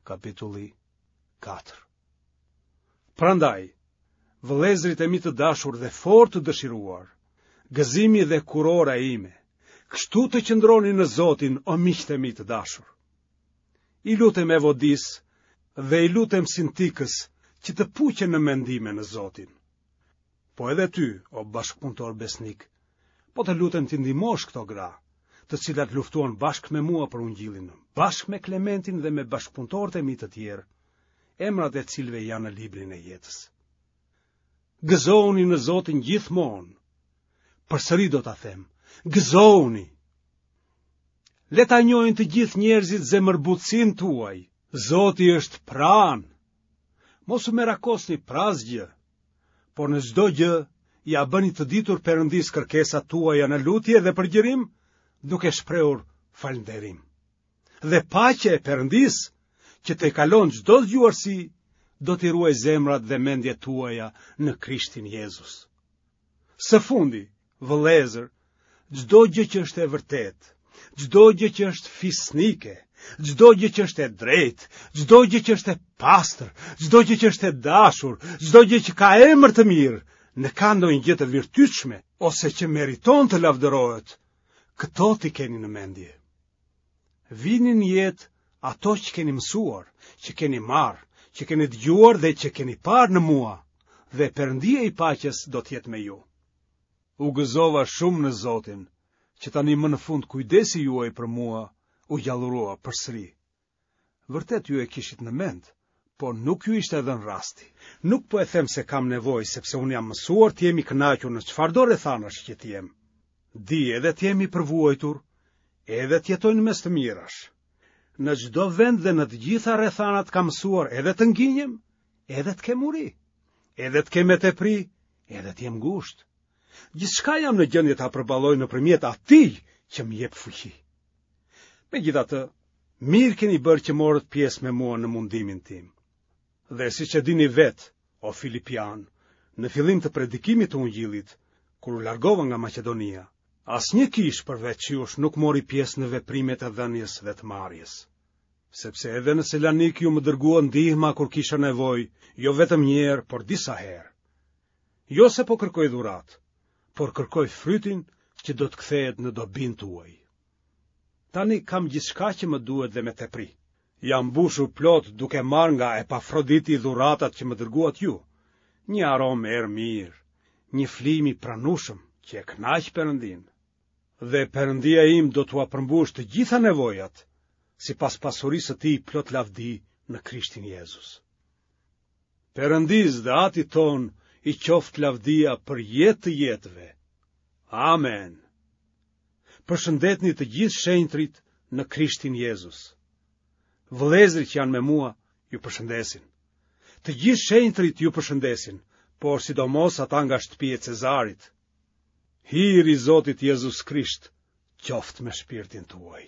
Kapitulli 4. Prandaj, vëllezërit e mi të dashur dhe fort të dëshiruar, gëzimi dhe kurora ime, kështu të qëndroni në Zotin o miqtë e mi të dashur. I lutem Evodisë dhe i lutem Sintikës që të puqen në mendime në Zotin. Po edhe ty, o bashkëpunëtor besnik, po të lutem t'i ndihmosh këto gra, të cilat luftuan bashkë me mua për ungjillin, bashkë me Klementin dhe me bashkëpunëtorët e mi të tjerë, emrat e të cilëve janë në librin e jetës. Gëzohuni në Zotin gjithmonë. Përsëri do ta them, gëzohuni. Le ta njohin të gjithë njerëzit zemërbutësinë tuaj. Zoti është pranë. Mos u merakosni për asgjë, por në çdo gjë ia bëni të ditur Perëndisë kërkesat tuaja në lutje dhe përgjërim, duke shprehur falënderim. Dhe paqja e Perëndisë, që tejkalon çdo zgjuarsi, do t'i ruajë zemrat dhe mendjet tuaja në Krishtin Jezus. Së fundi, vëllezër, çdo gjë që është e vërtetë, çdo gjë që është fisnike, çdo gjë që është e drejtë, çdo gjë që është e pastër, çdo gjë që është e dashur, çdo gjë që ka emër të mirë, në ka ndonjë gjë të virtytshme ose që meriton të lavdërohet, këto t'i keni në mendje. Vini në jetë ato që keni mësuar, që keni marrë, që keni dëgjuar dhe që keni parë në mua, dhe Perëndia i paqes do të jetë me ju. U gëzova shumë në Zotin, që tani më në fund kujdesi juaj për mua u gjallërua përsëri. Vërtet ju e kishit në mend, por nuk ju ishte dhënë rasti. Nuk po e them se kam nevojë, sepse unë jam mësuar të jem i kënaqur në çfarëdo rrethanash që të jem. Di edhe të jem i përvuajtur, edhe të jetoj në mes të mirash. Në çdo vend dhe në të gjitha rrethanat kam mësuar edhe të nginjem, edhe të kem uri, edhe të kem me tepri, edhe të jem ngushtë. Gjithçka jam në gjendje ta përballoj nëpërmjet atij që më jep fuqi. Megjithatë, mirë keni bërë që morët pjesë me mua në mundimin tim. Dhe siç e dini vetë, o Filipianë, në fillim të predikimit të Ungjillit, kur u largova nga Maqedonia, asnjë kishë përveç jush nuk mori pjesë në veprimet e dhënies dhe të marrjes. Sepse edhe në Selanik ju më dërguat ndihma kur kisha nevojë, jo vetëm një herë, por disa herë. Jo se po kërkoj dhuratë, por kërkoj frytin që do të kthehet në dobinë tuaj. Tani kam gjithçka që më duhet dhe me tepri. Jam mbushur plot duke marrë nga Epafroditi dhuratat që më dërguat ju, një aromë erë mirë, një flijim i pranueshëm që e kënaq Perëndinë. Dhe Perëndia im do t'ua përmbushë të gjitha nevojat, sipas pasurisë së tij plot lavdi në Krishtin Jezus. Perëndisë dhe Atit tonë i qoftë lavdia për jetë të jetëve. Amen. Përshëndetni të gjithë shenjtërit në Krishtin Jezus. Vëllezërit që janë me mua ju përshëndesin. Të gjithë shenjtërit ju përshëndesin, por sidomos ata nga shtëpia e Cezarit. Hiri i Zotit Jezus Krisht qoftë me shpirtin tuaj.